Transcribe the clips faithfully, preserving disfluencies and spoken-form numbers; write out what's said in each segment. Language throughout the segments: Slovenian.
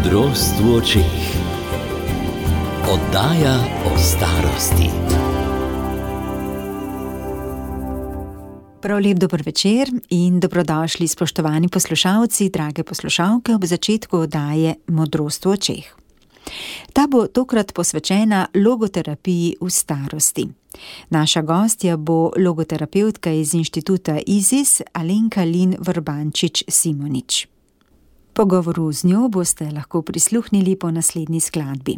Modrost v očeh. Oddaja o starosti. Prav lep dober večer in dobrodošli, spoštovani poslušalci, drage poslušalke, ob začetku oddaje Modrost v očeh. Ta bo tokrat posvečena logoterapiji v starosti. Naša gostja bo logoterapevtka iz inštituta Izis, Alenka Lin Vrbančič-Simonič. Pogovoru z njo boste lahko prisluhnili po naslednji skladbi.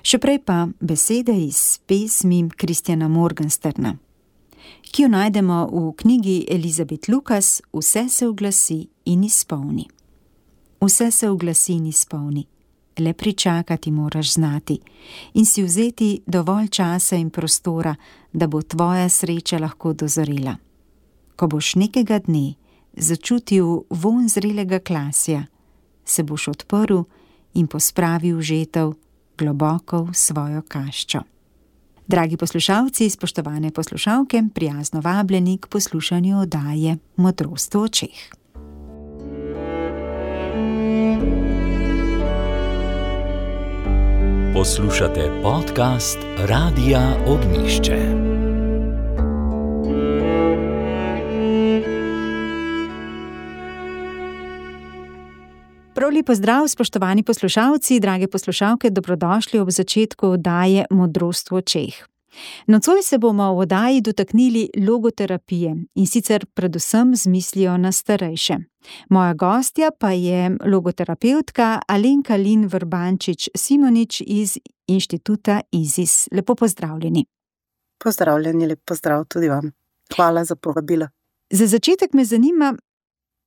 Še prej pa besede iz pesmi Christiana Morgensterna, ki jo najdemo v knjigi Elizabeth Lucas Vse se oglasi in izpolni. Vse se oglasi in izpolni, le pričakati moraš znati in si vzeti dovolj časa in prostora, da bo tvoja sreča lahko dozorela. Ko boš nekega dne začutil vonj zrelega klasja, se boš odprl in pospravil žetev globoko v svojo kaščo. Dragi poslušalci, spoštovane poslušalke, prijazno vabljeni k poslušanju oddaje Modrost v očeh. Poslušate podcast Radia Ognjišče. Prav lep pozdrav, spoštovani poslušalci, drage poslušalke, dobrodošli ob začetku oddaje Modrost v očeh. Nocoj se bomo v oddaji dotaknili logoterapije in sicer predvsem z mislijo na starejše. Moja gostja pa je logoterapevtka Alenka Lin Vrbančič-Simonič iz inštituta Izis. Lepo pozdravljeni. Pozdravljeni, lep pozdrav tudi vam. Hvala za povabilo. Za začetek me zanima,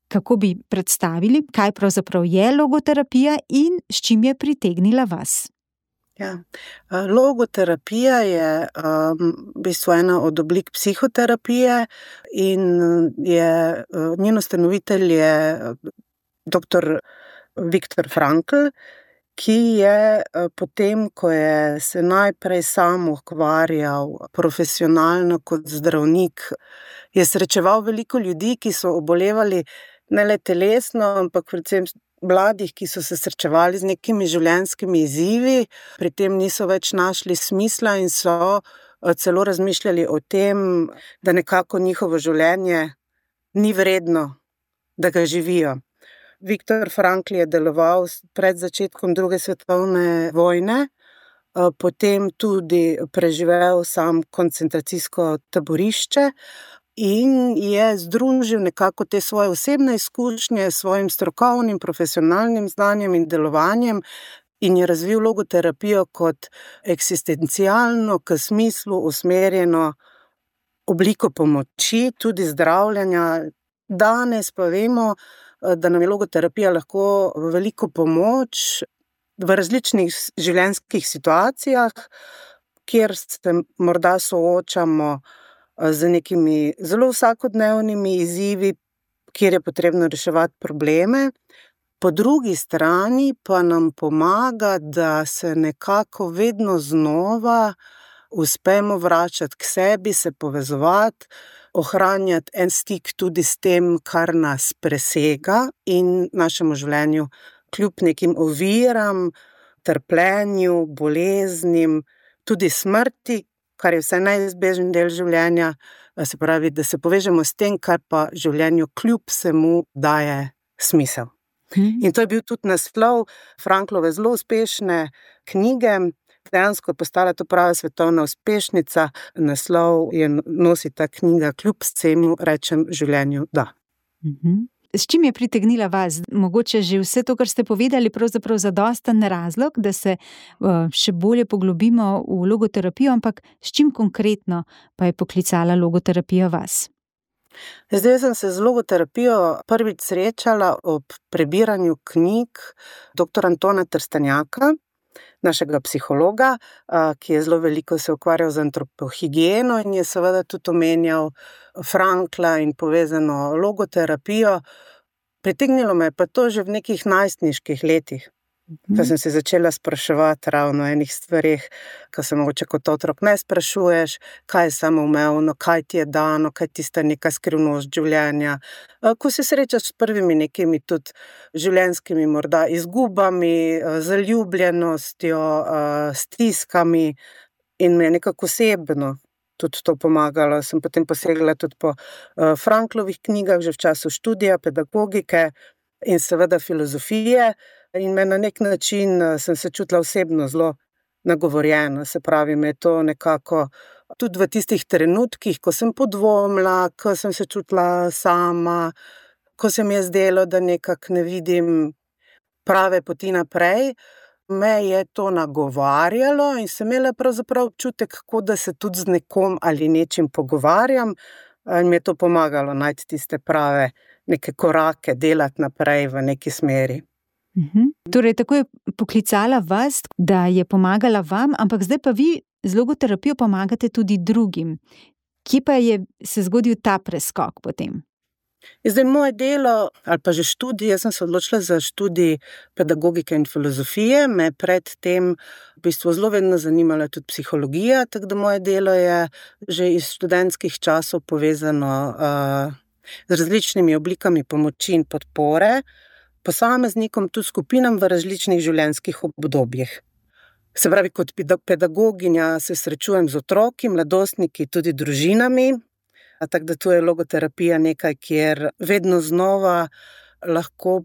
kako bi predstavili, kaj pravzaprav je logoterapija in s čim je pritegnila vas. Ja. Logoterapija je um, v bistvu ena od oblik psihoterapije in je, njen ustanovitelj je doktor Viktor Frankl, ki je potem, ko je se najprej sam ukvarjal profesionalno kot zdravnik, je srečeval veliko ljudi, ki so obolevali ne le telesno, ampak predvsem mladih, ki so se srečevali z nekimi življenjskimi izzivi, pri tem niso več našli smisla in so celo razmišljali o tem, da nekako njihovo življenje ni vredno, da ga živijo. Viktor Frankl je deloval pred začetkom druge svetovne vojne, potem tudi preživel sam koncentracijsko taborišče, in je združil nekako te svoje osebne izkušnje s svojim strokovnim, profesionalnim znanjem in delovanjem in je razvil logoterapijo kot eksistencialno, k smislu usmerjeno obliko pomoči, tudi zdravljenja. Danes pa vemo, da nam je logoterapija lahko veliko pomoč v različnih življenjskih situacijah, kjer se morda soočamo z nekimi zelo vsakodnevnimi izzivi, kjer je potrebno reševati probleme. Po drugi strani pa nam pomaga, da se nekako vedno znova uspemo vračati k sebi, se povezovati, ohranjati en stik tudi s tem, kar nas presega in našemu življenju kljub nekim oviram, trpljenju, boleznim, tudi smrti, kar je vse neizbežen del življenja, se pravi, da se povežemo s tem, kar pa življenju kljub vsemu daje smisel. Hmm. In to je bil tudi naslov Franklove zelo uspešne knjige, dejansko je postala to prava svetovna uspešnica, naslov je nosi ta knjiga Kljub vsemu rečem življenju da. Hmm. S čim je pritegnila vas? Mogoče že vse to, kar ste povedali, pravzaprav zadosten razlog, da se uh, še bolje poglobimo v logoterapijo, ampak s čim konkretno pa je poklicala logoterapija vas? Zdaj sem se z logoterapijo prvič srečala ob prebiranju knjig doktor Antona Trstenjaka, našega psihologa, uh, ki je zelo veliko se ukvarjal z antropohigieno in je seveda tudi omenjal Frankla in povezano logoterapijo. Pritegnilo me pa to že v nekih najstniških letih. Ko sem se začela spraševati ravno o enih stvarih, ko se mogoče kot otrok ne sprašuješ, kaj je samoumevno, kaj ti je dano, kaj je tista neka skrivnost življenja. Ko se srečaš s prvimi nekimi tudi življenjskimi morda izgubami, zaljubljenostjo, stiskami, in me je nekako osebno tudi to pomagalo. Sem potem posegla tudi po Franklovih knjigah, že v času študija, pedagogike in seveda filozofije. In me na nek način sem se čutila osebno zelo nagovorjeno, se pravi, me je to nekako tudi v tistih trenutkih, ko sem podvomila, ko sem se čutila sama, ko se mi je zdelo, da nekako ne vidim prave poti naprej, me je to nagovarjalo in sem imela pravzaprav občutek, kako da se tudi z nekom ali nečim pogovarjam, in mi je to pomagalo najti tiste prave neke korake, delati naprej v neki smeri. Uhum. Torej, tako je poklicala vas, da je pomagala vam, ampak zdaj pa vi z logoterapijo pomagate tudi drugim. Kje pa je se zgodil ta preskok potem? Zdaj, moje delo, ali pa že študij, jaz sem se odločila za študij pedagogike in filozofije, me pred tem v bistvu zelo vedno zanimala tudi psihologija, tako da moje delo je že iz študentskih časov povezano uh, z različnimi oblikami pomoči in podpore, posameznikom, tudi skupinam v različnih življenjskih obdobjih. Se pravi, kot pedagoginja se srečujem z otroki, mladostniki, tudi družinami, tako da tu je logoterapija nekaj, kjer vedno znova lahko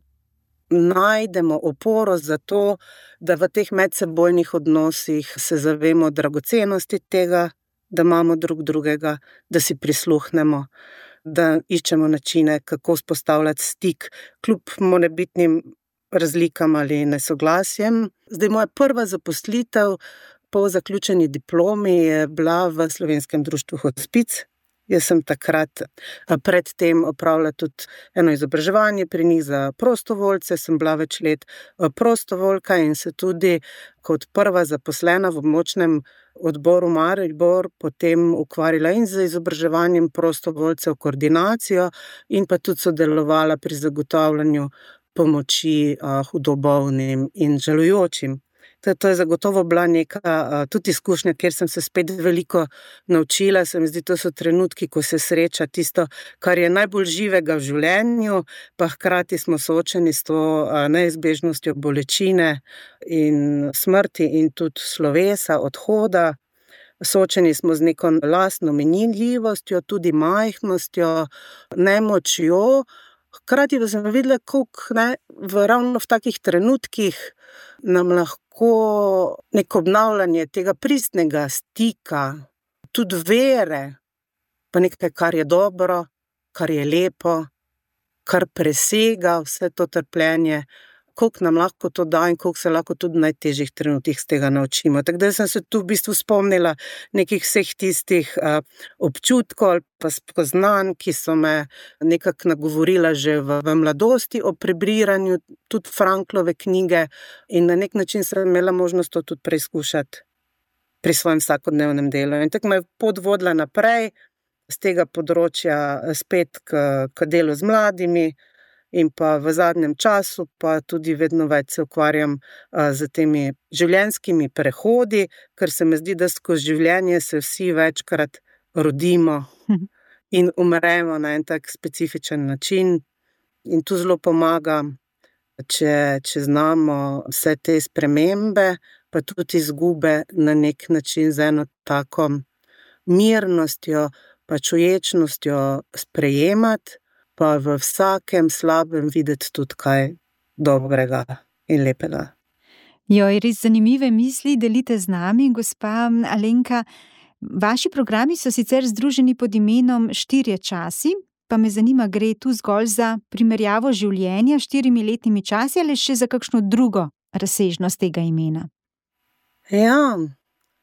najdemo oporo za to, da v teh medsebojnih odnosih se zavemo dragocenosti tega, da imamo drug drugega, da si prisluhnemo, da iščemo načine, kako vzpostavljati stik, kljub morebitnim razlikam ali nesoglasjem. Zdaj, moja prva zaposlitev po zaključeni diplomi je bila v Slovenskem društvu Hospic. Jaz sem takrat pred tem opravila tudi eno izobraževanje pri njih za prostovoljce, sem bila več let prostovoljka in se tudi kot prva zaposlena v območnem odboru Maribor potem ukvarjala in z izobraževanjem prostovoljcev, koordinacijo in pa tudi sodelovala pri zagotavljanju pomoči hudo bolnim in žalujočim. To je zagotovo bila neka tudi izkušnja, kjer sem se spet veliko naučila. Se mi zdi, to so trenutki, ko se sreča tisto, kar je najbolj živega v življenju, pa hkrati smo soočeni s to neizbežnostjo bolečine in smrti in tudi slovesa, odhoda. Soočeni smo z neko lastno minljivostjo, tudi majhnostjo, nemočjo. Hkrati pa sem videla, koliko ne, v ravno v takih trenutkih nam lahko neko obnavljanje tega pristnega stika, tudi vere, pa nekaj, kar je dobro, kar je lepo, kar presega vse to trpljenje, koliko nam lahko to da in koliko se lahko tudi v najtežjih trenutkih z tega naučimo. Tako da sem se tu v bistvu spomnila nekih vseh tistih uh, občutkov ali pa spoznanj, ki so me nekako nagovorila že v, v mladosti o prebiranju tudi Franklove knjige in na nek način sem imela možnost to tudi preizkušati pri svojem vsakodnevnem delu. In tako me je pot vodila naprej z tega področja spet k, k delu z mladimi, in pa v zadnjem času pa tudi vedno več se ukvarjam z temi življenjskimi prehodi, ker se mi zdi, da skozi življenje se vsi večkrat rodimo in umremo na en tak specifičen način. In tu zelo pomaga, če, če znamo vse te spremembe, pa tudi izgube na nek način z eno tako mirnostjo, pa čuječnostjo sprejemati, pa v vsakem slabem videti tudi kaj dobrega in lepega. Joj, res zanimive misli delite z nami, gospa Alenka. Vaši programi so sicer združeni pod imenom Štirje časi, pa me zanima, gre tu zgolj za primerjavo življenja s štirimi letnimi časi ali še za kakšno drugo razsežnost tega imena? Ja,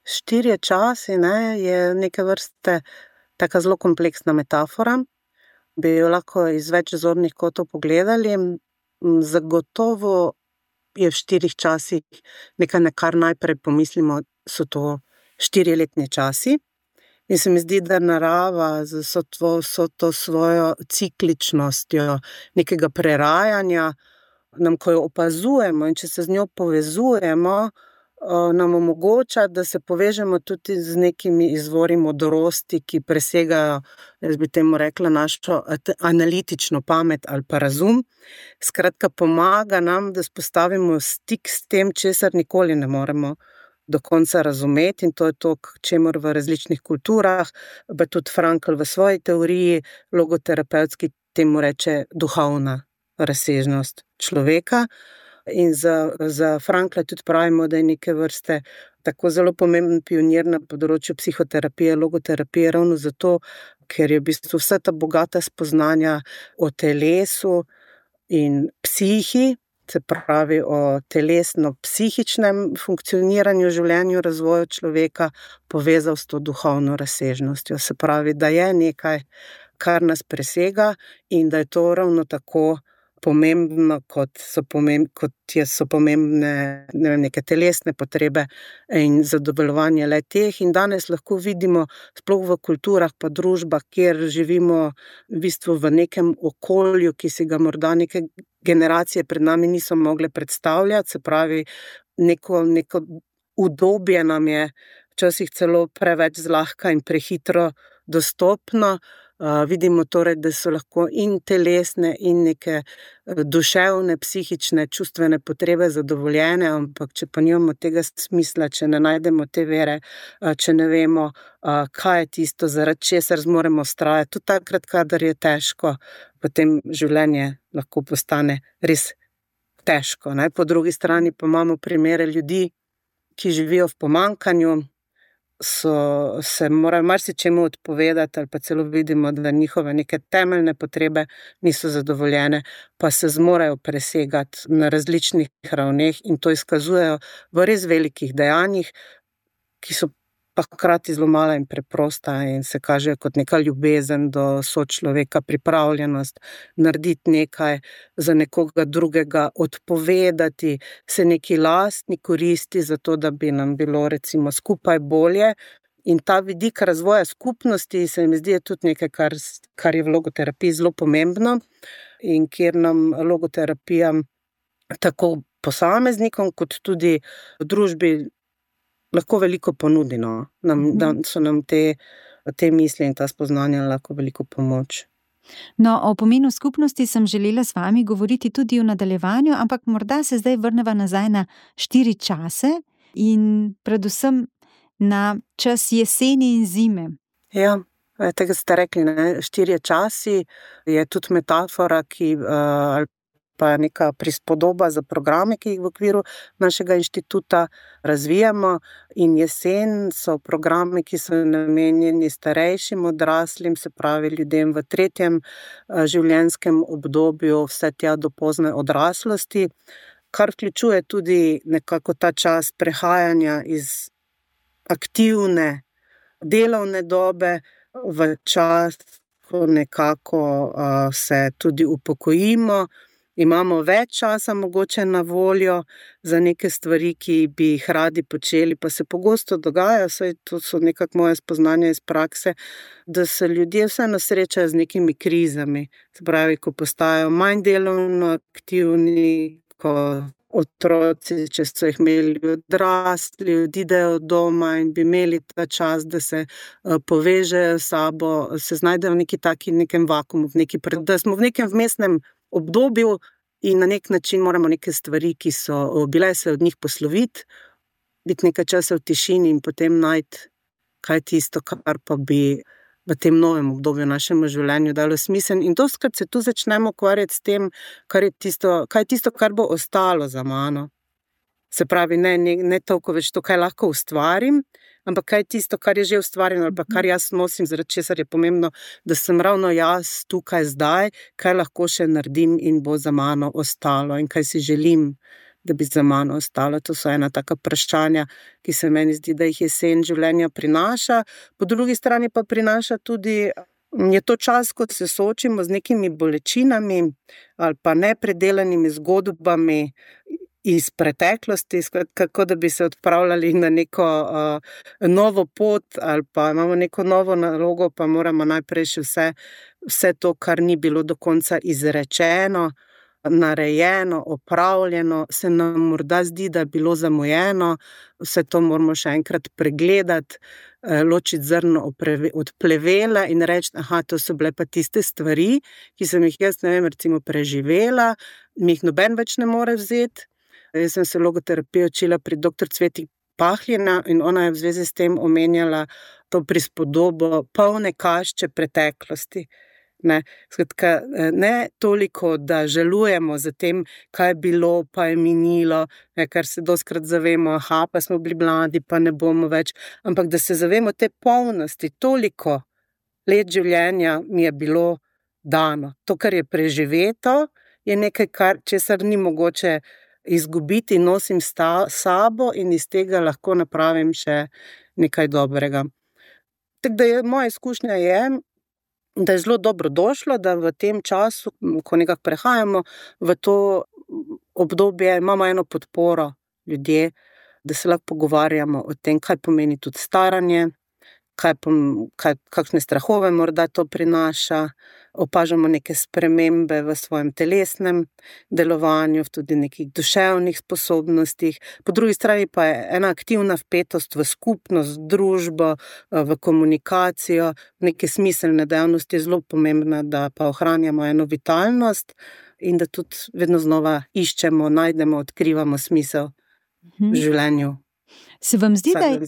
štirje časi, ne, je neke vrste taka zelo kompleksna metafora. Bi jo lahko iz več zornih kotov pogledali. Zagotovo je v štirih časih nekaj, na kar najprej pomislimo, so to štiriletni časi. In se mi zdi, da narava z vso to, vso to svojo cikličnostjo nekega prerajanja nam, ko jo opazujemo in če se z njo povezujemo, nam omogoča, da se povežemo tudi z nekimi izvori modrosti, ki presegajo, jaz bi temu rekla, našo analitično pamet ali pa razum. Skratka, pomaga nam, da vzpostavimo stik s tem, česar nikoli ne moremo do konca razumeti, in to je to, čemur v različnih kulturah, pa tudi Frankl v svoji teoriji logoterapevtski temu reče duhovna razsežnost človeka. In za, za Frankla tudi pravimo, da je neke vrste tako zelo pomemben pionir na področju psihoterapije, logoterapije, ravno zato, ker je v bistvu vsa ta bogata spoznanja o telesu in psihi, se pravi o telesno-psihičnem funkcioniranju, življenju, razvoju človeka, povezal s to duhovno razsežnostjo. Se pravi, da je nekaj, kar nas presega in da je to ravno tako pomembno, kot so, pomemb, kot je, so pomembne ne vem, neke telesne potrebe in zadovoljevanje le teh. In danes lahko vidimo, sploh v kulturah pa družbah, kjer živimo v bistvu v nekem okolju, ki si ga morda neke generacije pred nami niso mogle predstavljati, se pravi, neko, neko udobje nam je včasih celo preveč zlahka in prehitro dostopno. Uh, vidimo torej, da so lahko in telesne in neke duševne, psihične, čustvene potrebe zadovoljene, ampak če pa nimamo tega smisla, če ne najdemo te vere, uh, če ne vemo, uh, kaj je tisto, zaradi česar zmoremo vztrajati, tudi takrat, kadar je težko, potem življenje lahko postane res težko. Ne? Po drugi strani pa imamo primere ljudi, ki živijo v pomanjkanju, so, se morajo marsičemu odpovedati ali pa celo vidimo, da njihove neke temeljne potrebe niso zadovoljene, pa se zmorejo presegati na različnih ravneh in to izkazujejo v res velikih dejanjih, ki so pa hkrati zelo mala in preprosta in se kažejo kot neka ljubezen do sočloveka, pripravljenost narediti nekaj za nekoga drugega, odpovedati se neki lastni koristi za to, da bi nam bilo recimo skupaj bolje. In ta vidik razvoja skupnosti se mi zdi tudi nekaj, kar, kar je v logoterapiji zelo pomembno in kjer nam logoterapija tako posameznikom kot tudi družbi lahko veliko ponudi, no. Nam, da so nam te, te misli in ta spoznanja lahko veliko pomoč. No, o pomenu skupnosti sem želela s vami govoriti tudi v nadaljevanju, ampak morda se zdaj vrneva nazaj na štiri čase in predvsem na čas jeseni in zime. Ja, tega ste rekli, ne? Štirje časi je tudi metafora, ki uh, pa neka prispodoba za programe, ki jih v okviru našega inštituta razvijamo, in jesen so programe, ki so namenjeni starejšim odraslim, se pravi ljudem v tretjem življenjskem obdobju, vse tja do pozne odraslosti, kar vključuje tudi nekako ta čas prehajanja iz aktivne delovne dobe v čas, ko nekako uh, se tudi upokojimo. Imamo več časa mogoče na voljo za neke stvari, ki bi jih radi počeli, pa se pogosto dogaja, saj to so nekako moje spoznanja iz prakse, da se ljudje vseeno srečajo z nekimi krizami. Se pravi, ko postajajo manj delovno aktivni, ko otroci, če so jih imeli odrasli, odidejo doma in bi imeli ta čas, da se povežejo s sabo, se znajdejo v neki taki, nekem vakumu, v neki, da smo v nekem vmesnem obdobju in na nek način moramo neke stvari, ki so bile, se od njih posloviti, biti nekaj časa v tišini in potem najti, kaj tisto, kar pa bi v tem novem obdobju našemu življenju dalo smisel. In dostikrat se tu začnemo ukvarjati s tem, kar je tisto, kaj je tisto, kar bo ostalo za mano. Se pravi, ne, ne, ne toliko več to, kaj lahko ustvarim, ampak kaj je tisto, kar je že ustvarjeno ali pa kar jaz nosim, zaradi česar je pomembno, da sem ravno jaz tukaj zdaj, kaj lahko še naredim in bo za mano ostalo in kaj si želim, da bi za mano ostalo. To so ena taka vprašanja, ki se meni zdi, da jih jesen življenja prinaša. Po drugi strani pa prinaša tudi, je to čas, ko se soočimo z nekimi bolečinami ali pa nepredelanimi zgodbami iz preteklosti, kako da bi se odpravljali na neko uh, novo pot ali pa imamo neko novo nalogo, pa moramo najprej še vse, vse to, kar ni bilo do konca izrečeno, narejeno, opravljeno, se nam morda zdi, da je bilo zamujeno, vse to moramo še enkrat pregledati, ločiti zrno od plevela in reči, aha, to so bile pa tiste stvari, ki sem jih jaz, ne vem, recimo preživela, mi jih noben več ne more vzeti. Jaz sem se logoterapijo učila pri doktor Cveti Pahljina in ona je v zvezi s tem omenjala to prispodobo polne kašče preteklosti. Ne, skratka, ne toliko, da žalujemo za tem, kaj je bilo, pa je minilo, ne, kar se dostikrat zavemo, aha, pa smo bili mladi, pa ne bomo več, ampak da se zavemo te polnosti, toliko let življenja mi je bilo dano. To, kar je preživeto, je nekaj, kar, česar ni mogoče izgubiti, nosim sta, sabo in iz tega lahko napravim še nekaj dobrega. Tako da je, moja izkušnja je, da je zelo dobro došlo, da v tem času, ko nekako prehajamo v to obdobje, imamo eno podporo ljudje, da se lahko pogovarjamo o tem, kaj pomeni tudi staranje, kaj, kaj, kakšne strahove morda to prinaša, opažamo neke spremembe v svojem telesnem delovanju, tudi nekih duševnih sposobnostih. Po drugi strani pa je ena aktivna vpetost v skupnost, družbo, v komunikacijo, neke smiselne dejavnosti je zelo pomembna, da pa ohranjamo eno vitalnost in da tudi vedno znova iščemo, najdemo, odkrivamo smisel v življenju. Se vam zdi, da je...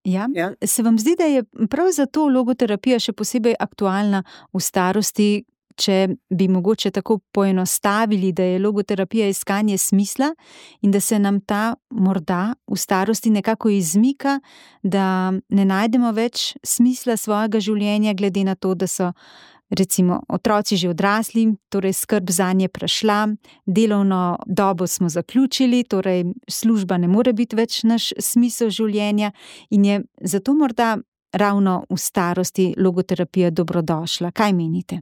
Ja. Ja. Se vam zdi, da je prav zato logoterapija še posebej aktualna v starosti, če bi mogoče tako poenostavili, da je logoterapija iskanje smisla in da se nam ta morda v starosti nekako izmika, da ne najdemo več smisla svojega življenja, glede na to, da so recimo otroci že odrasli, torej skrb zanje prešla, delovno dobo smo zaključili, torej služba ne more biti več naš smisel življenja in je zato morda ravno v starosti logoterapija dobrodošla. Kaj menite?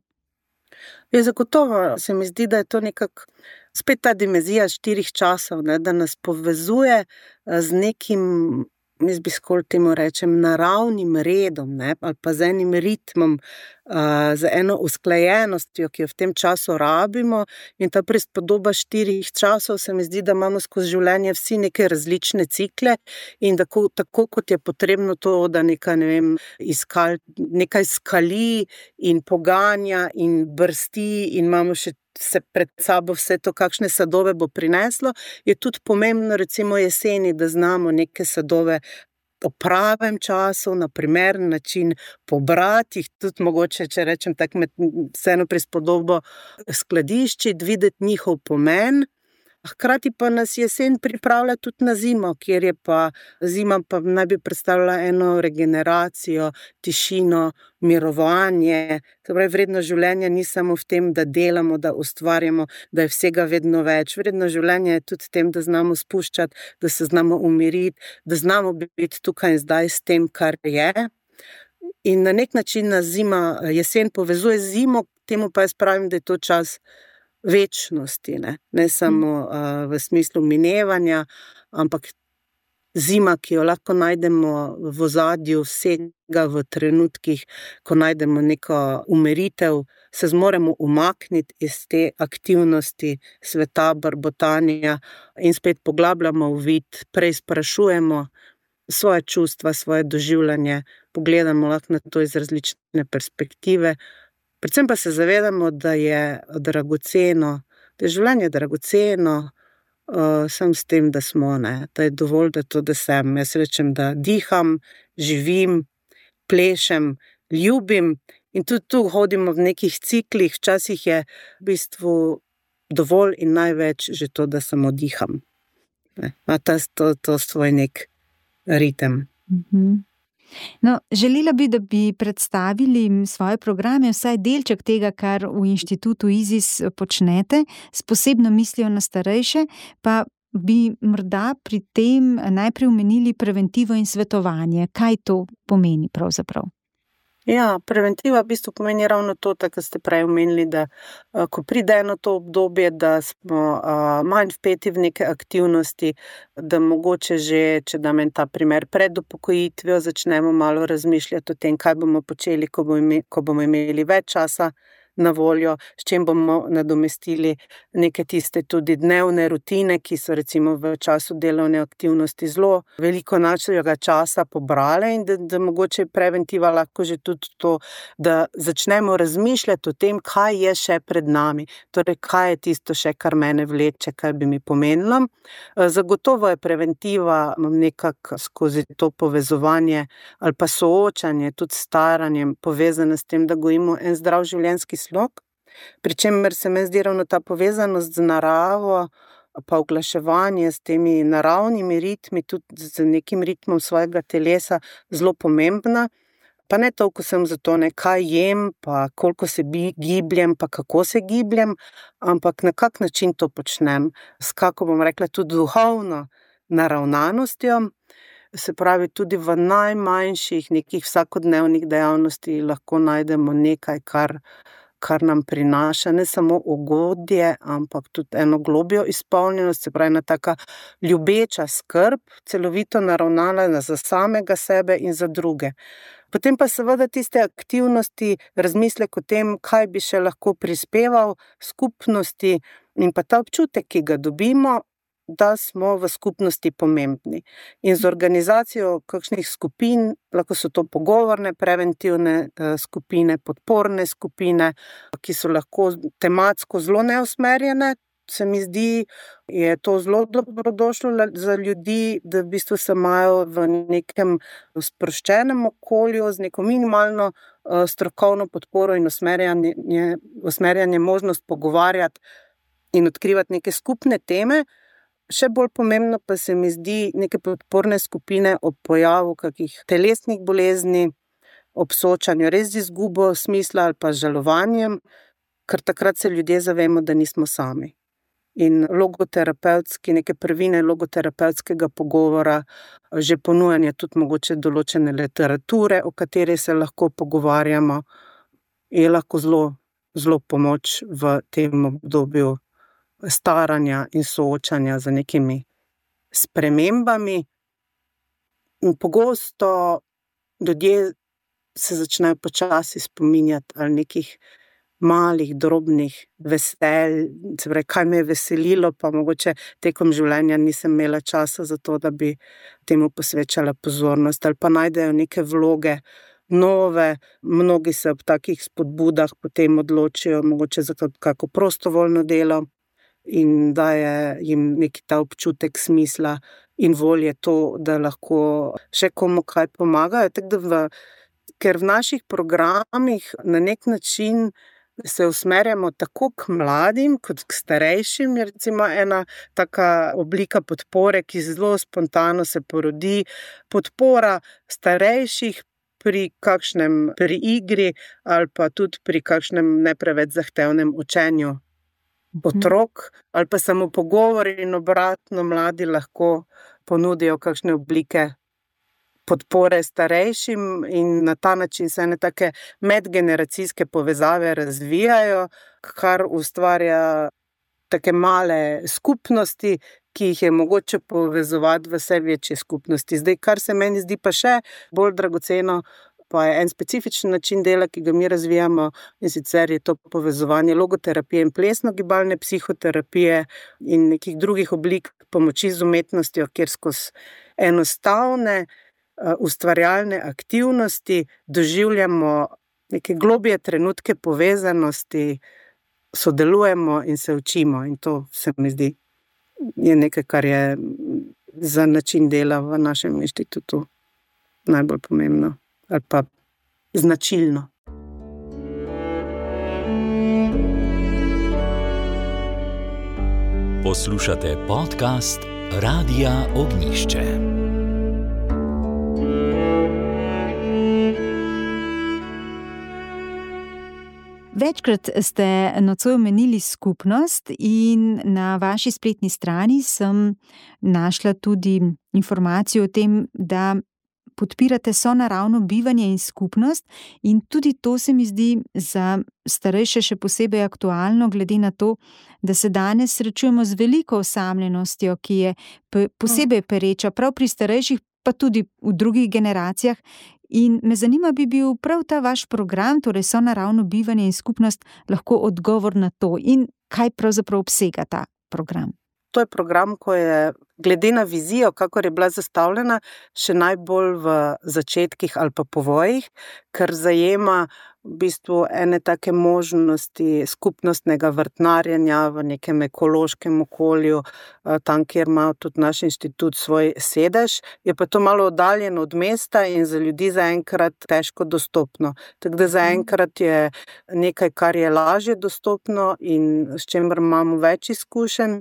Je zagotovo, se mi zdi, da je to nekako spet ta dimenzija štirih časov, ne, da nas povezuje z nekim, jaz bi skoraj temu rečem, naravnim redom, ne, ali pa z enim ritmom, uh, z eno usklajenostjo, ki jo v tem času rabimo, in ta prispodoba štirih časov se mi zdi, da imamo skozi življenje vsi neke različne cikle in tako, tako kot je potrebno to, da nekaj, ne vem, iskal, nekaj skali in poganja in brsti in imamo še se pred sabo vse to, kakšne sadove bo prineslo, je tudi pomembno recimo jeseni, da znamo neke sadove o pravem času, na primeren način pobrati, jih tudi mogoče, če rečem tako med vseeno prispodobo skladiščiti, videti njihov pomen. Hkrati pa nas jesen pripravlja tudi na zimo, kjer je pa zima pa naj bi predstavljala eno regeneracijo, tišino, mirovanje. Torej, vrednost življenja ni samo v tem, da delamo, da ustvarjamo, da je vsega vedno več. Vrednost življenja je tudi v tem, da znamo spuščati, da se znamo umiriti, da znamo biti tukaj in zdaj s tem, kar je. In na nek način nas zima, jesen povezuje z zimo, temu pa jaz pravim, da je to čas večnosti, ne, ne samo uh, v smislu minevanja, ampak zima, ki jo lahko najdemo v ozadju vsega v trenutkih, ko najdemo neko umiritev, se zmoremo umakniti iz te aktivnosti sveta, brbotanja in spet poglabljamo v vid, preizprašujemo svoje čustva, svoje doživljanje, pogledamo lahko na to iz različne perspektive. Predvsem pa se zavedamo, da je dragoceno, da je življenje dragoceno, uh, sem s tem, da smo, ne, da je dovolj, da to, da sem. Jaz rečem, da diham, živim, plešem, ljubim in tudi tu hodimo v nekih ciklih, včasih je v bistvu dovolj in največ že to, da samo diham. Ne, ima ta, to, to svoj nek ritem. Mhm. No, želela bi, da bi predstavili svoje programe, vsaj delček tega, kar v inštitutu IZIS počnete, s posebno mislijo na starejše, pa bi morda pri tem najprej omenili preventivo in svetovanje. Kaj to pomeni pravzaprav? Ja, preventiva v bistvu pomeni ravno to, tako ste prej omenili, da uh, ko pride eno to obdobje, da smo uh, manj vpeti v neke aktivnosti, da mogoče že, če dam en ta primer, pred upokojitvijo začnemo malo razmišljati o tem, kaj bomo počeli, ko bomo imeli, ko bomo imeli več časa na voljo, s čim bomo nadomestili neke tiste tudi dnevne rutine, ki so recimo v času delovne aktivnosti zelo veliko našega časa pobrale in da, da mogoče preventiva lahko že tudi to, da začnemo razmišljati o tem, kaj je še pred nami, torej kaj je tisto še, kar mene vleče, kaj bi mi pomenilo. Zagotovo je preventiva nekako skozi to povezovanje ali pa soočanje tudi s staranjem povezana s tem, da gojimo en zdrav življenjski slog, pri čemer se mi zdi ravno ta povezanost z naravo pa oglaševanje s temi naravnimi ritmi, tudi z nekim ritmom svojega telesa zelo pomembna. Pa ne toliko sem za to, ne, kaj jem, pa koliko se bi, gibljem, pa kako se gibljem, ampak na kak način to počnem, s kako bom rekla tudi duhovno naravnanostjo, se pravi tudi v najmanjših nekih vsakodnevnih dejavnosti lahko najdemo nekaj, kar, kar nam prinaša ne samo ugodje, ampak tudi eno globjo izpolnjenost, se pravi ena taka ljubeča skrb, celovito naravnana za samega sebe in za druge. Potem pa seveda tiste aktivnosti, razmislek o tem, kaj bi še lahko prispeval skupnosti in pa ta občutek, ki ga dobimo, da smo v skupnosti pomembni. In z organizacijo kakšnih skupin, lahko so to pogovorne, preventivne skupine, podporne skupine, ki so lahko tematsko zelo neusmerjene, se mi zdi, je to zelo dobrodošlo za ljudi, da v bistvu se imajo v nekem sproščenem okolju z neko minimalno strokovno podporo in usmerjanje, usmerjanje možnost pogovarjati in odkrivati neke skupne teme. Še bolj pomembno pa se mi zdi neke podporne skupine ob pojavu kakih telesnih bolezni, ob soočanju res z izgubo smisla ali pa žalovanjem, ker takrat se ljudje zavemo, da nismo sami. In logoterapevtski, neke prvine logoterapevtskega pogovora, že ponujanje tudi mogoče določene literature, o kateri se lahko pogovarjamo, je lahko zelo, zelo pomoč v tem obdobju staranja in soočanja z nekimi spremembami. In pogosto ljudje se začnejo počasi spominjati ali nekih malih, drobnih veselj, se pravi, kaj me je veselilo, pa mogoče tekom življenja nisem imela časa za to, da bi temu posvečala pozornost, ali pa najdejo neke vloge nove, mnogi se ob takih spodbudah potem odločijo mogoče za kako prostovoljno delo in daje jim neki ta občutek smisla in volje to, da lahko še komu kaj pomagajo. Tako da v, ker v naših programih na nek način se usmerjamo tako k mladim kot k starejšim, je recimo ena taka oblika podpore, ki zelo spontano se porodi, podpora starejših pri kakšnem, pri igri ali pa tudi pri kakšnem ne preveč zahtevnem učenju otrok, ali pa samo pogovori in obratno mladi lahko ponudijo kakšne oblike podpore starejšim in na ta način se ene take medgeneracijske povezave razvijajo, kar ustvarja take male skupnosti, ki jih je mogoče povezovati v vse večje skupnosti. Zdaj, kar se meni zdi pa še bolj dragoceno, pa je en specifičen način dela, ki ga mi razvijamo, in sicer je to povezovanje logoterapije in plesno-gibalne psihoterapije in nekih drugih oblik pomoči z umetnostjo, kjer skozi enostavne ustvarjalne aktivnosti doživljamo neke globje trenutke povezanosti, sodelujemo in se učimo. In to se mi zdi je nekaj, kar je za način dela v našem inštitutu najbolj pomembno ali pa značilno. Poslušate podcast Radia Ognjišče. Večkrat ste nocoj omenili skupnost in na vaši spletni strani sem našla tudi informacijo o tem, da podpirate sonaravno bivanje in skupnost in tudi to se mi zdi za starejše še posebej aktualno, glede na to, da se danes srečujemo z veliko osamljenostjo, ki je posebej pereča prav pri starejših, pa tudi v drugih generacijah. In me zanima, bi bil prav ta vaš program, torej sonaravno bivanje in skupnost, lahko odgovor na to in kaj pravzaprav obsega ta program? To je program, ko je glede na vizijo, kakor je bila zastavljena, še najbolj v začetkih ali pa povojih, ker zajema v bistvu ene take možnosti skupnostnega vrtnarjenja v nekem ekološkem okolju, tam, kjer ima tudi naš inštitut svoj sedež, je pa to malo oddaljeno od mesta in za ljudi zaenkrat težko dostopno. Tako da zaenkrat je nekaj, kar je lažje dostopno in s čimer imamo več izkušenj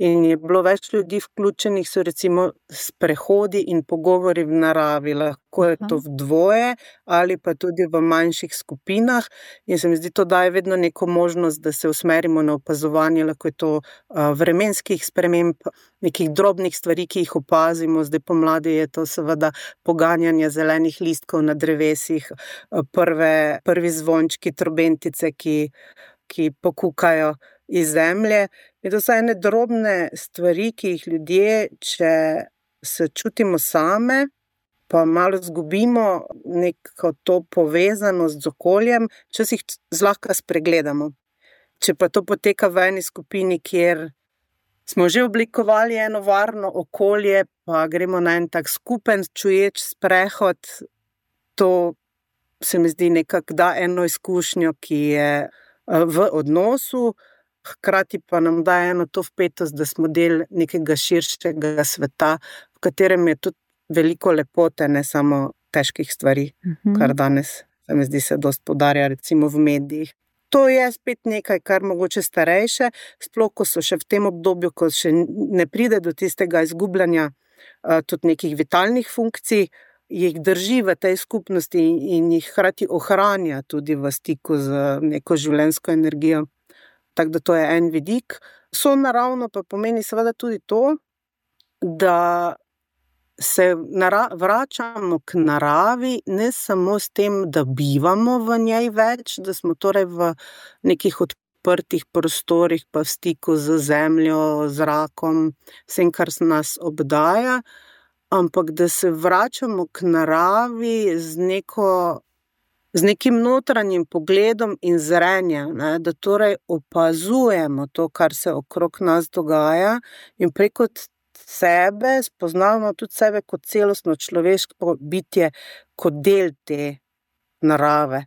in je bilo več ljudi vključenih, so recimo sprehodi in pogovori v naravi, lahko je to v dvoje ali pa tudi v manjših skupinah in se mi zdi, to daje vedno neko možnost, da se usmerimo na opazovanje, lahko je to vremenskih sprememb, nekih drobnih stvari, ki jih opazimo, zdaj pomladi je to seveda poganjanje zelenih listkov na drevesih, prve, prvi zvončki, trobentice, ki, ki pokukajo iz zemlje. In to so ene drobne stvari, ki jih ljudje, če se čutimo same, pa malo zgubimo neko to povezanost z okoljem, včasih zlahka spregledamo. Če pa to poteka v eni skupini, kjer smo že oblikovali eno varno okolje, pa gremo na en tak skupen čuječ sprehod, to se mi zdi nekako da eno izkušnjo, ki je v odnosu, hkrati pa nam da eno to vpetost, da smo del nekega širšega sveta, v katerem je tudi veliko lepote, ne samo težkih stvari, uh-huh. kar danes se mi zdi se dosti poudarja recimo v medijih. To je spet nekaj, kar mogoče starejše, sploh ko so še v tem obdobju, ko še ne pride do tistega izgubljanja tudi nekih vitalnih funkcij, jih drži v tej skupnosti in jih hkrati ohranja tudi v stiku z neko življenjsko energijo. Tako da to je en vidik. Sonaravno pa pomeni seveda tudi to, da se nara- vračamo k naravi, ne samo s tem, da bivamo v njej več, da smo torej v nekih odprtih prostorih, pa v stiku z zemljo, zrakom, vsem, kar nas obdaja, ampak da se vračamo k naravi z neko z nekim notranjim pogledom in zrenjem, ne, da torej opazujemo to, kar se okrog nas dogaja in preko sebe spoznavamo tudi sebe kot celostno človeško bitje, kot del te narave.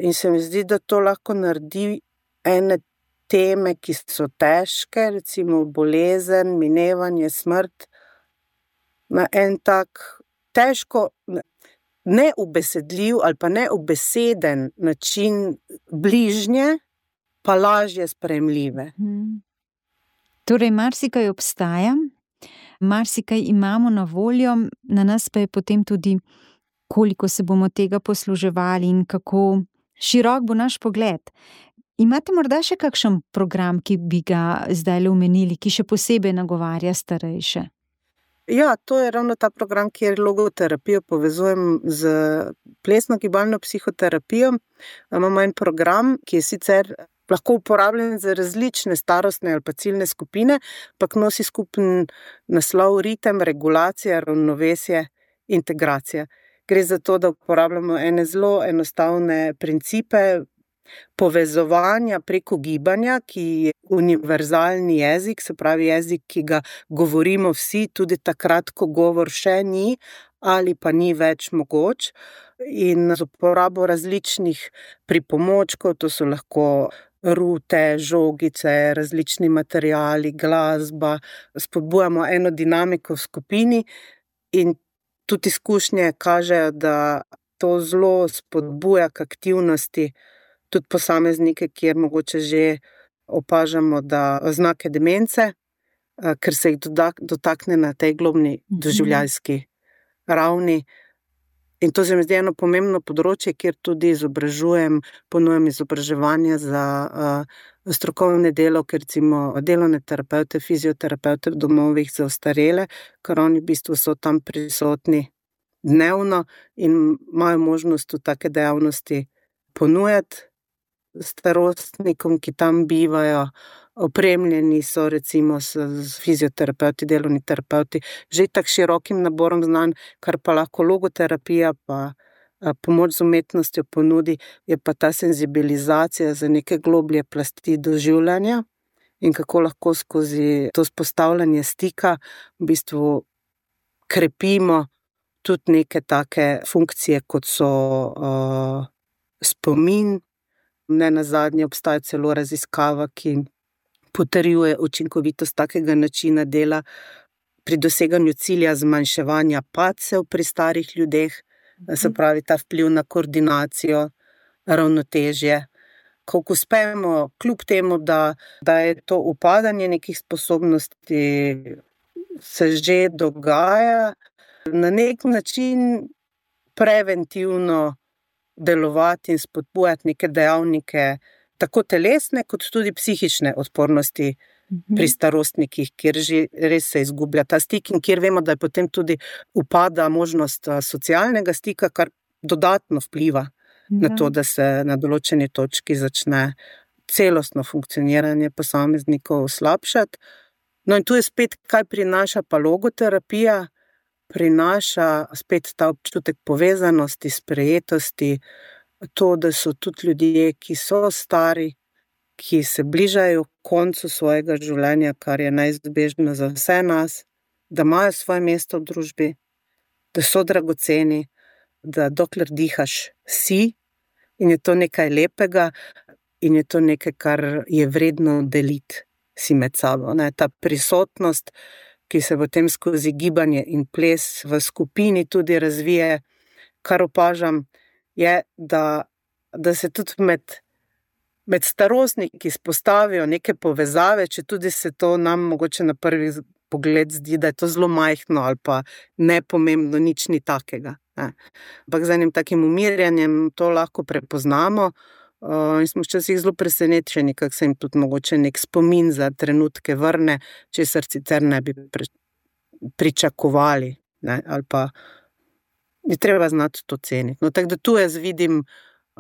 In se mi zdi, da to lahko naredi ene teme, ki so težke, recimo bolezen, minevanje, smrt, na en tak težko neubesedljiv ali pa neubeseden način bližnje, pa lažje sprejemljive. Hmm. Torej, marsikaj obstaja, marsikaj imamo na voljo, na nas pa je potem tudi, koliko se bomo tega posluževali in kako širok bo naš pogled. Imate morda še kakšen program, ki bi ga zdaj omenili, ki še posebej nagovarja starejše? Ja, to je ravno ta program, kjer logoterapijo povezujem z plesno-gibalno psihoterapijo. Imamo en program, ki je sicer lahko uporabljen za različne starostne ali pa ciljne skupine, pa nosi skupen naslov ritem, regulacija, ravnovesje, integracija. Gre za to, da uporabljamo ene zelo enostavne principe povezovanja preko gibanja, ki je univerzalni jezik, se pravi jezik, ki ga govorimo vsi, tudi takrat, ko govor še ni ali pa ni več mogoč. In z uporabo različnih pripomočkov, to so lahko rute, žogice, različni materiali, glasba, spodbujamo eno dinamiko v skupini in tudi izkušnje kažejo, da to zelo spodbuja k aktivnosti tudi posameznike, kjer mogoče že opažamo, da znake demence, ker se jih dotakne na tej globni doživljajski ravni. In to se mi zdi eno pomembno področje, kjer tudi izobražujem, ponujam izobraževanje za uh, strokovne delavke, recimo delovne terapeute, fizioterapevte v domovih za ostarele, ker oni v bistvu so tam prisotni dnevno in imajo možnost v take dejavnosti ponujati starostnikom, ki tam bivajo. Opremljeni so recimo s, s fizioterapeuti, delovni terapeuti, že tak širokim naborom znanj, kar pa lahko logoterapija, pa pomoč z umetnostjo ponudi, je pa ta senzibilizacija za neke globlje plasti doživljanja in kako lahko skozi to vzpostavljanje stika v bistvu krepimo tudi neke take funkcije, kot so uh, spomin. Ne nazadnje obstaja celo raziskava, ki potrjuje učinkovitost takega načina dela pri doseganju cilja zmanjševanja padcev pri starih ljudeh, se pravi ta vpliv na koordinacijo, ravnotežje. Ko uspemo, kljub temu, da, da je to upadanje nekih sposobnosti, se že dogaja, na nek način preventivno delovati in spodbujati neke dejavnike, tako telesne, kot tudi psihične odpornosti mm-hmm. pri starostnikih, kjer že res se izgublja ta stik in kjer vemo, da je potem tudi upada možnost socialnega stika, kar dodatno vpliva ja. na to, da se na določeni točki začne celostno funkcioniranje posameznikov slabšati. No in tu je spet, kaj prinaša pa logoterapija, prinaša spet ta občutek povezanosti, sprejetosti, to, da so tudi ljudje, ki so stari, ki se bližajo koncu svojega življenja, kar je neizbežno za vse nas, da imajo svoje mesto v družbi, da so dragoceni, da dokler dihaš si in je to nekaj lepega in je to nekaj, kar je vredno deliti si med sabo. Ne? Ta prisotnost, ki se potem skozi gibanje in ples v skupini tudi razvije, kar opažam, je, da, da se tudi med, med starostniki spostavijo neke povezave, če tudi se to nam mogoče na prvi pogled zdi, da je to zelo majhno ali pa nepomembno, nič ni takega. Ne. Ampak z enim takim umirjanjem to lahko prepoznamo uh, in smo včasih zelo presenečeni, kako se jim tudi mogoče nek spomin za trenutke vrne, česar sicer ne bi pre, pričakovali, ne, ali pa je treba znati to ceniti. No, tako da tu jaz vidim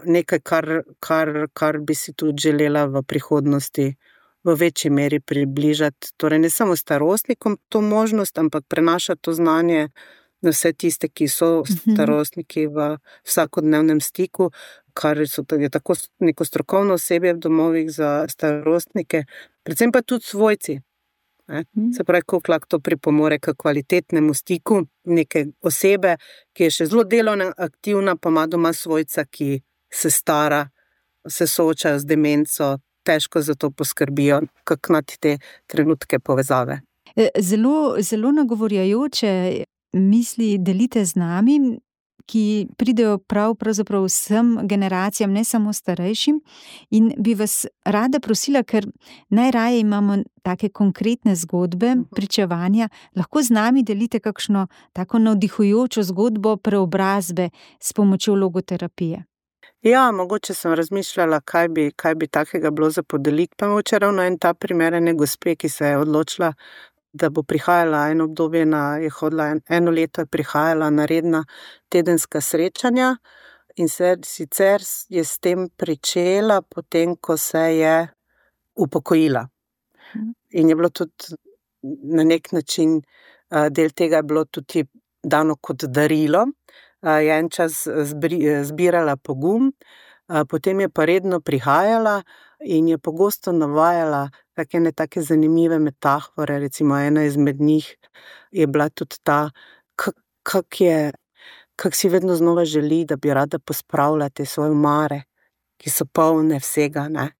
nekaj, kar, kar, kar bi si tudi želela v prihodnosti v večji meri približati. Torej ne samo starostnikom to možnost, ampak prenašati to znanje na vse tiste, ki so starostniki v vsakodnevnem stiku, kar so je tako neko strokovno osebje v domovih za starostnike, predvsem pa tudi svojci. Ne? Se pravi, koliko lahko to pripomore k kvalitetnemu stiku neke osebe, ki je še zelo delovna, aktivna, pa ima doma svojca, ki se stara, se soočajo z demenco, težko za to poskrbijo, kako na te trenutke povezave. Zelo, zelo nagovorjajoče misli delite z nami, ki pridejo prav pravzaprav vsem generacijam, ne samo starejšim, in bi vas rada prosila, ker najraje imamo take konkretne zgodbe, pričevanja, lahko z nami delite kakšno tako navdihujočo zgodbo preobrazbe s pomočjo logoterapije. Ja, mogoče sem razmišljala, kaj bi, kaj bi takega bilo za podeliti, pa mogoče ravno en ta primer ene gospe, ki se je odločila, da bo prihajala eno obdobje, na, je hodila en, eno leto je prihajala na redna tedenska srečanja in se, sicer je s tem pričela potem, ko se je upokojila. In je bilo tudi na nek način, del tega je bilo tudi dano kot darilo, je en čas zbirala pogum, potem je pa redno prihajala in je pogosto navajala take ne take zanimive metafore, recimo ena izmed njih je bila tudi ta, kak je, kak si vedno znova želi, da bi rada pospravila te svoje omare, ki so polne vsega, ne.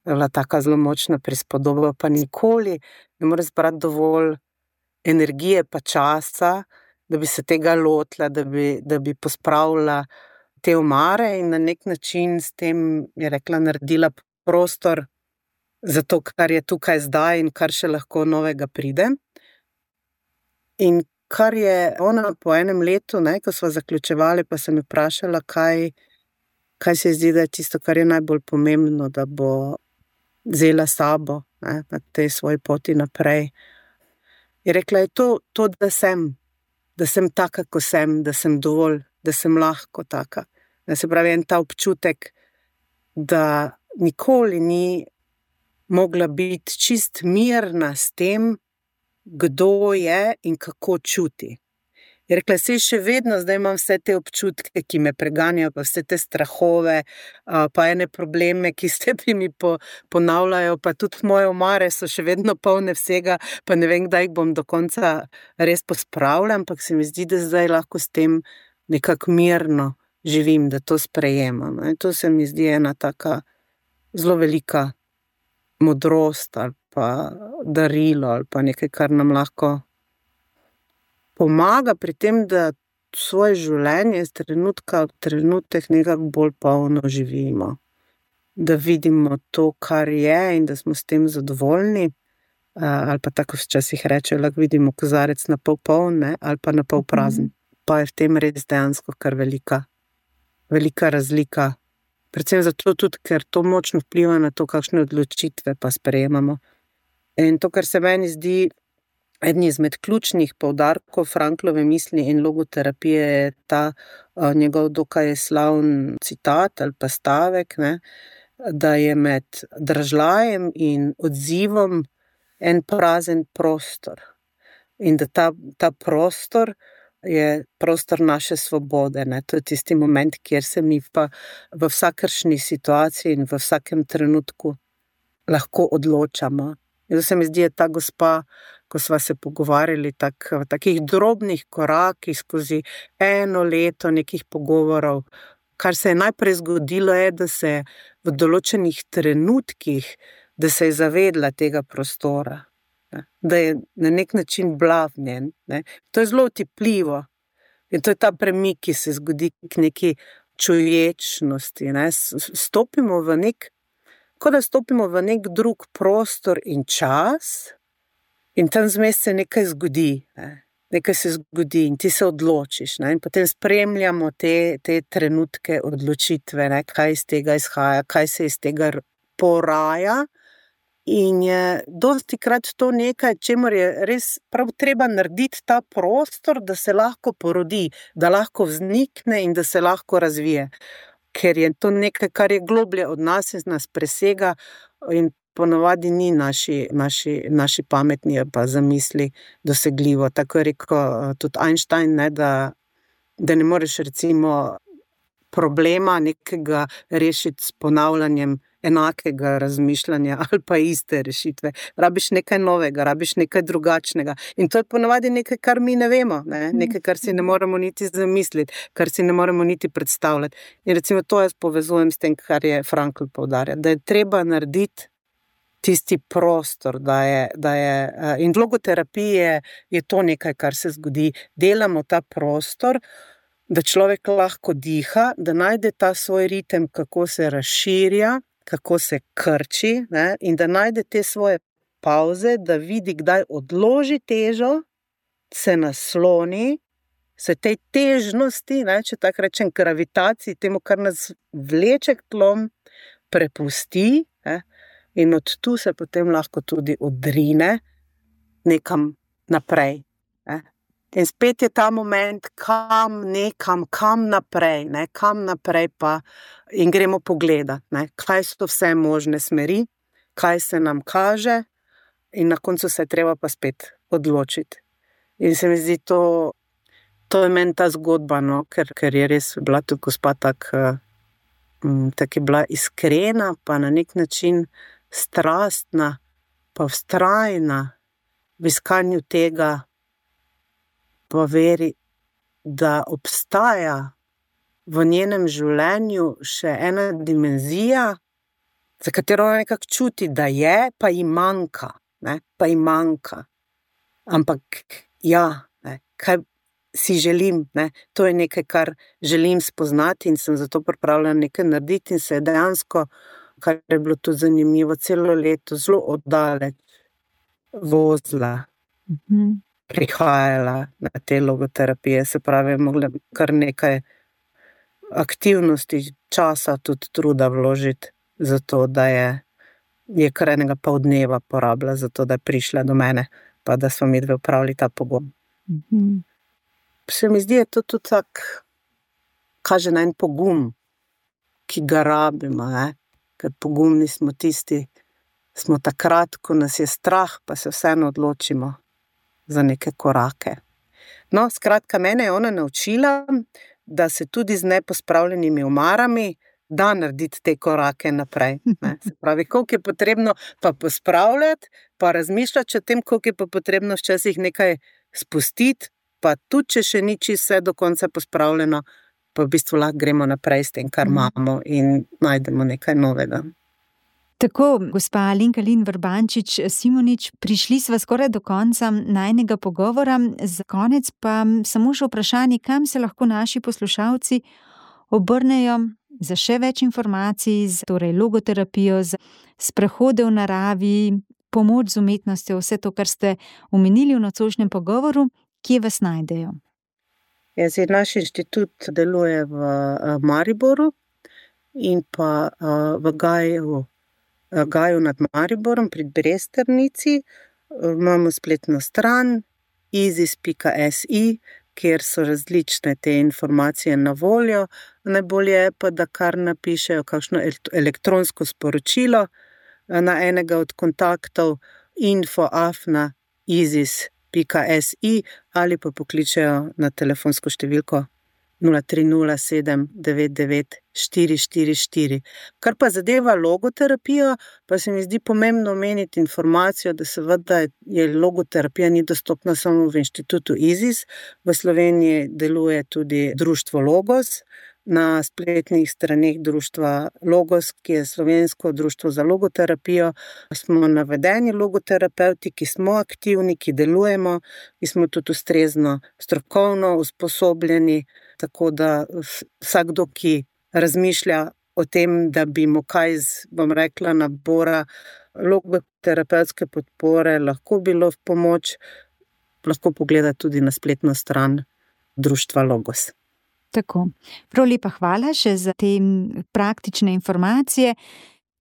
Je bila taka zelo močna prispodoba, pa nikoli ne more zbrati dovolj energije pa časa, da bi se tega lotila, da bi, da bi pospravila te omare in na nek način s tem, je rekla, naredila prostor za to, kar je tukaj zdaj in kar še lahko novega pride. In kar je ona po enem letu, ne, ko sva zaključevali, pa sem jo vprašala, kaj, kaj se zdi, da je tisto, kar je najbolj pomembno, da bo vzela sabo, ne, na tej svoji poti naprej. Je rekla, je to, to, da sem, da sem taka, ko sem, da sem dovolj, da sem lahko taka. Da se pravi, en ta občutek, da nikoli ni mogla biti čist mirna s tem, kdo je in kako čuti. Je rekla, saj še vedno, zdaj imam vse te občutke, ki me preganjajo, pa vse te strahove, pa ene probleme, ki se mi po, ponavljajo, pa tudi moje omare so še vedno polne vsega, pa ne vem, kdaj jih bom do konca res pospravila, ampak se mi zdi, da zdaj lahko s tem nekako mirno živim, da to sprejemam. In to se mi zdi ena taka zelo velika modrost ali pa darilo ali pa nekaj, kar nam lahko pomaga pri tem, da svoje življenje z trenutka v trenutek nekako bolj polno živimo. Da vidimo to, kar je in da smo s tem zadovoljni, ali pa tako včasih rečejo, lahko vidimo kozarec na pol poln, ne, ali pa na pol prazen. Pa je v tem res dejansko kar velika, velika razlika. Predvsem zato tudi, ker to močno vpliva na to, kakšne odločitve pa sprejemamo. In to, kar se meni zdi eden izmed ključnih poudarkov Franklove misli in logoterapije, je ta uh, njegov dokaj slavn citat ali pa stavek, ne, da je med držlajem in odzivom en prazen prostor. In da ta, ta prostor je prostor naše svobode. Ne. To je tisti moment, kjer se mi pa v vsakršni situaciji in v vsakem trenutku lahko odločamo. In to se mi zdi, je ta gospa, ko sva se pogovarjali tak, v takih drobnih korakih skozi eno leto nekih pogovorov, kar se je najprej zgodilo je, da se v določenih trenutkih, da se je zavedla tega prostora, ne, da je na nek način bila v njen. Ne. To je zelo otipljivo in to je ta premik, ki se zgodi k neki čuječnosti. Ne. Stopimo v nek Ko da stopimo v nek drug prostor in čas in tam zmes se nekaj zgodi, ne? Nekaj se zgodi in ti se odločiš, ne? In potem spremljamo te, te trenutke odločitve, ne? Kaj iz tega izhaja, kaj se iz tega poraja in je dosti krat to nekaj, čemur je res prav treba narediti ta prostor, da se lahko porodi, da lahko vznikne in da se lahko razvije. Ker je to nekaj, kar je globlje od nas in nas presega in ponavadi ni naši, naši, naši pametni pa zamisli dosegljivo. Tako je rekel tudi Einstein, ne, da, da ne moreš recimo problema nekega rešiti s ponavljanjem enakega razmišljanja ali pa iste rešitve. Rabiš nekaj novega, rabiš nekaj drugačnega. In to je ponavadi nekaj, kar mi ne vemo, ne? Nekaj, kar si ne moremo niti zamisliti, kar si ne moremo niti predstavljati. In recimo to jaz povezujem s tem, kar je Frankl poudarja, da je treba narediti tisti prostor, da je, da je, in v logoterapiji je, je to nekaj, kar se zgodi. Delamo ta prostor, da človek lahko diha, da najde ta svoj ritem, kako se razširja, kako se krči, ne, in da najde te svoje pauze, da vidi, kdaj odloži težo, se nasloni, se tej težnosti, ne, če tako rečem, gravitaciji, temu, kar nas vleče k tlom, prepusti, ne, in od tu se potem lahko tudi odrine nekam naprej. Ne. In spet je ta moment, kam nekam, kam naprej, ne, kam naprej pa in gremo pogledati, ne, kaj so vse možne smeri, kaj se nam kaže in na koncu se je treba pa spet odločiti. In se mi zdi to, to je meni ta zgodba, no, ker, ker je res bila tudi gospa tak, um, tak je bila iskrena, pa na nek način strastna, pa vztrajna v iskanju tega, pa veri, da obstaja v njenem življenju še ena dimenzija, za katero ona nekako čuti, da je, pa ji manjka, ne, pa ji manjka. Ampak ja, ne, kaj si želim, ne, to je nekaj, kar želim spoznati in sem zato pripravljena nekaj narediti in se je dejansko, kar je bilo tudi zanimivo, celo leto zelo oddaleč vozila. Mhm. Prihajala na te logoterapije, se pravi, mogla kar nekaj aktivnosti, časa, tudi truda vložiti za to, da je, je kar enega pol dneva porabila za to, da je prišla do mene, pa da smo mi dve opravili ta pogum. Mm-hmm. Se mi zdi, je to tudi tak, kaže na en pogum, ki ga rabimo, ne? Ker pogumni smo tisti, smo takrat, ko nas je strah, pa se vseeno odločimo za neke korake. No, skratka, mene je ona naučila, da se tudi z nepospravljenimi omarami da narediti te korake naprej. Ne? Se pravi, koliko je potrebno pa pospravljati, pa razmišljati o tem, koliko je pa potrebno včasih nekaj spustiti, pa tudi, če še ni čisto vse do konca pospravljeno, pa v bistvu lahko gremo naprej s tem, kar imamo in najdemo nekaj novega. Tako, gospa Alenka Lin Vrbančič Simonič, prišli sva skoraj do konca najnega pogovora. Za konec pa samo še vprašanje, kam se lahko naši poslušalci obrnejo za še več informacij, za torej logoterapijo, za sprehode v naravi, pomoč z umetnostjo, vse to, kar ste omenili v nocojšnjem pogovoru, kje vas najdejo? Ja, zdaj, naš inštitut deluje v Mariboru in pa v Gaju, Gaju nad Mariborom pri Bresternici. Imamo spletno stran izis pika si, kjer so različne te informacije na voljo. Najbolje je pa, da kar napišejo kakšno elektronsko sporočilo na enega od kontaktov info afna izis pika si ali pa pokličejo na telefonsko številko nula tri nula sedem devet devet štiri štiri štiri. Kar pa zadeva logoterapijo, pa se mi zdi pomembno omeniti informacijo, da seveda je logoterapija ni dostopna samo v inštitutu izis. V Sloveniji deluje tudi društvo Logos. Na spletnih straneh društva Logos, ki je slovensko društvo za logoterapijo, smo navedeni logoterapevti, ki smo aktivni, ki delujemo, ki smo tudi ustrezno strokovno usposobljeni, tako da vsakdo, ki razmišlja o tem, da bi mu kaj z, bom rekla, nabora logoterapevtske podpore lahko bilo v pomoč, lahko pogleda tudi na spletno stran društva Logos. Tako. Prav lepa hvala še za te praktične informacije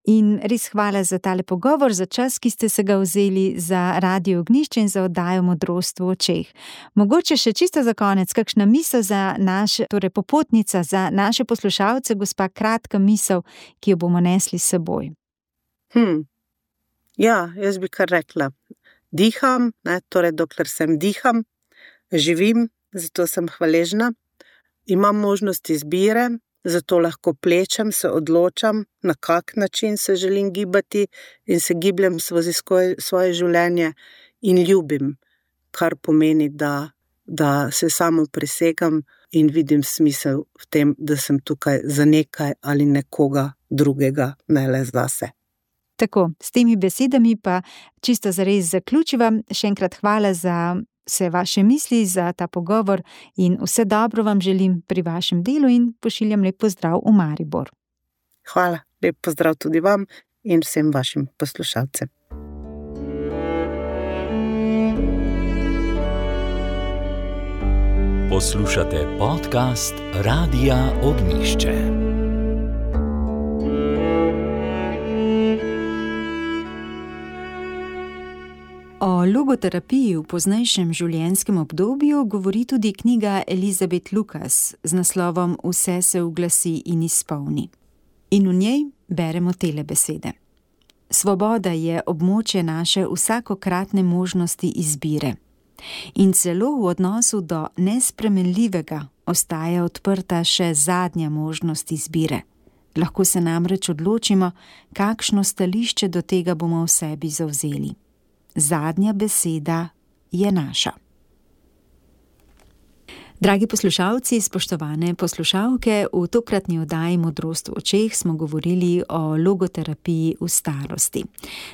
in res hvala za tale pogovor, za čas, ki ste se ga vzeli za Radio Ognjišče in za oddajo Modrost v očeh. Mogoče še čisto za konec, kakšna misel za naše, torej popotnica za naše poslušalce, gospa, kratka misel, ki jo bomo nesli s seboj. Hm. Ja, jaz bi kar rekla, diham, ne, torej dokler sem diham, živim, zato sem hvaležna. Imam možnost izbire, zato lahko plečem, se odločam, na kak način se želim gibati in se gibljem skozi svoje življenje in ljubim, kar pomeni, da, da se samo presegam in vidim smisel v tem, da sem tukaj za nekaj ali nekoga drugega, ne le zase. Tako, s temi besedami pa čisto zares zaključiva. Še enkrat hvala za vse vaše misli, za ta pogovor in vse dobro vam želim pri vašem delu in pošiljam lep pozdrav v Maribor. Hvala, lep pozdrav tudi vam in vsem vašim poslušalcem. Poslušate podcast Radia Ognjišče. O logoterapiji v poznejšem življenjskem obdobju govori tudi knjiga Elizabeth Lucas z naslovom Vse se uglasi in izpolni. In v njej beremo tele besede. Svoboda je območje naše vsakokratne možnosti izbire. In celo v odnosu do nespremenljivega ostaja odprta še zadnja možnost izbire. Lahko se namreč odločimo, kakšno stališče do tega bomo v sebi zavzeli. Zadnja beseda je naša. Dragi poslušalci, spoštovane poslušalke, v tokratni oddaji Modrost v očeh smo govorili o logoterapiji v starosti.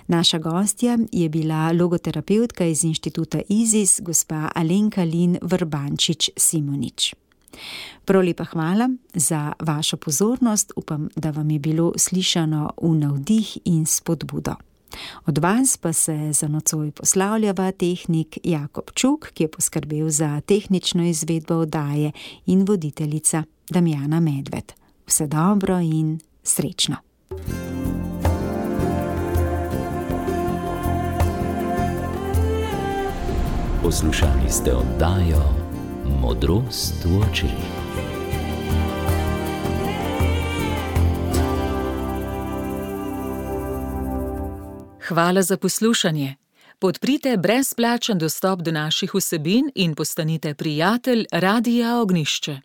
Naša gostja je bila logoterapevtka iz inštituta izis, gospa Alenka Lin Vrbančič Simonič. Prav lepa hvala za vašo pozornost, upam, da vam je bilo slišano v navdih in spodbudo. Od vas pa se za nocoj poslavljava tehnik Jakob Čuk, ki je poskrbel za tehnično izvedbo oddaje, in voditeljica Damjana Medved. Vse dobro in srečno. Poslušali ste oddajo Modrost v očeh. Hvala za poslušanje. Podprite brezplačen dostop do naših vsebin in postanite prijatelj Radia Ognjišče.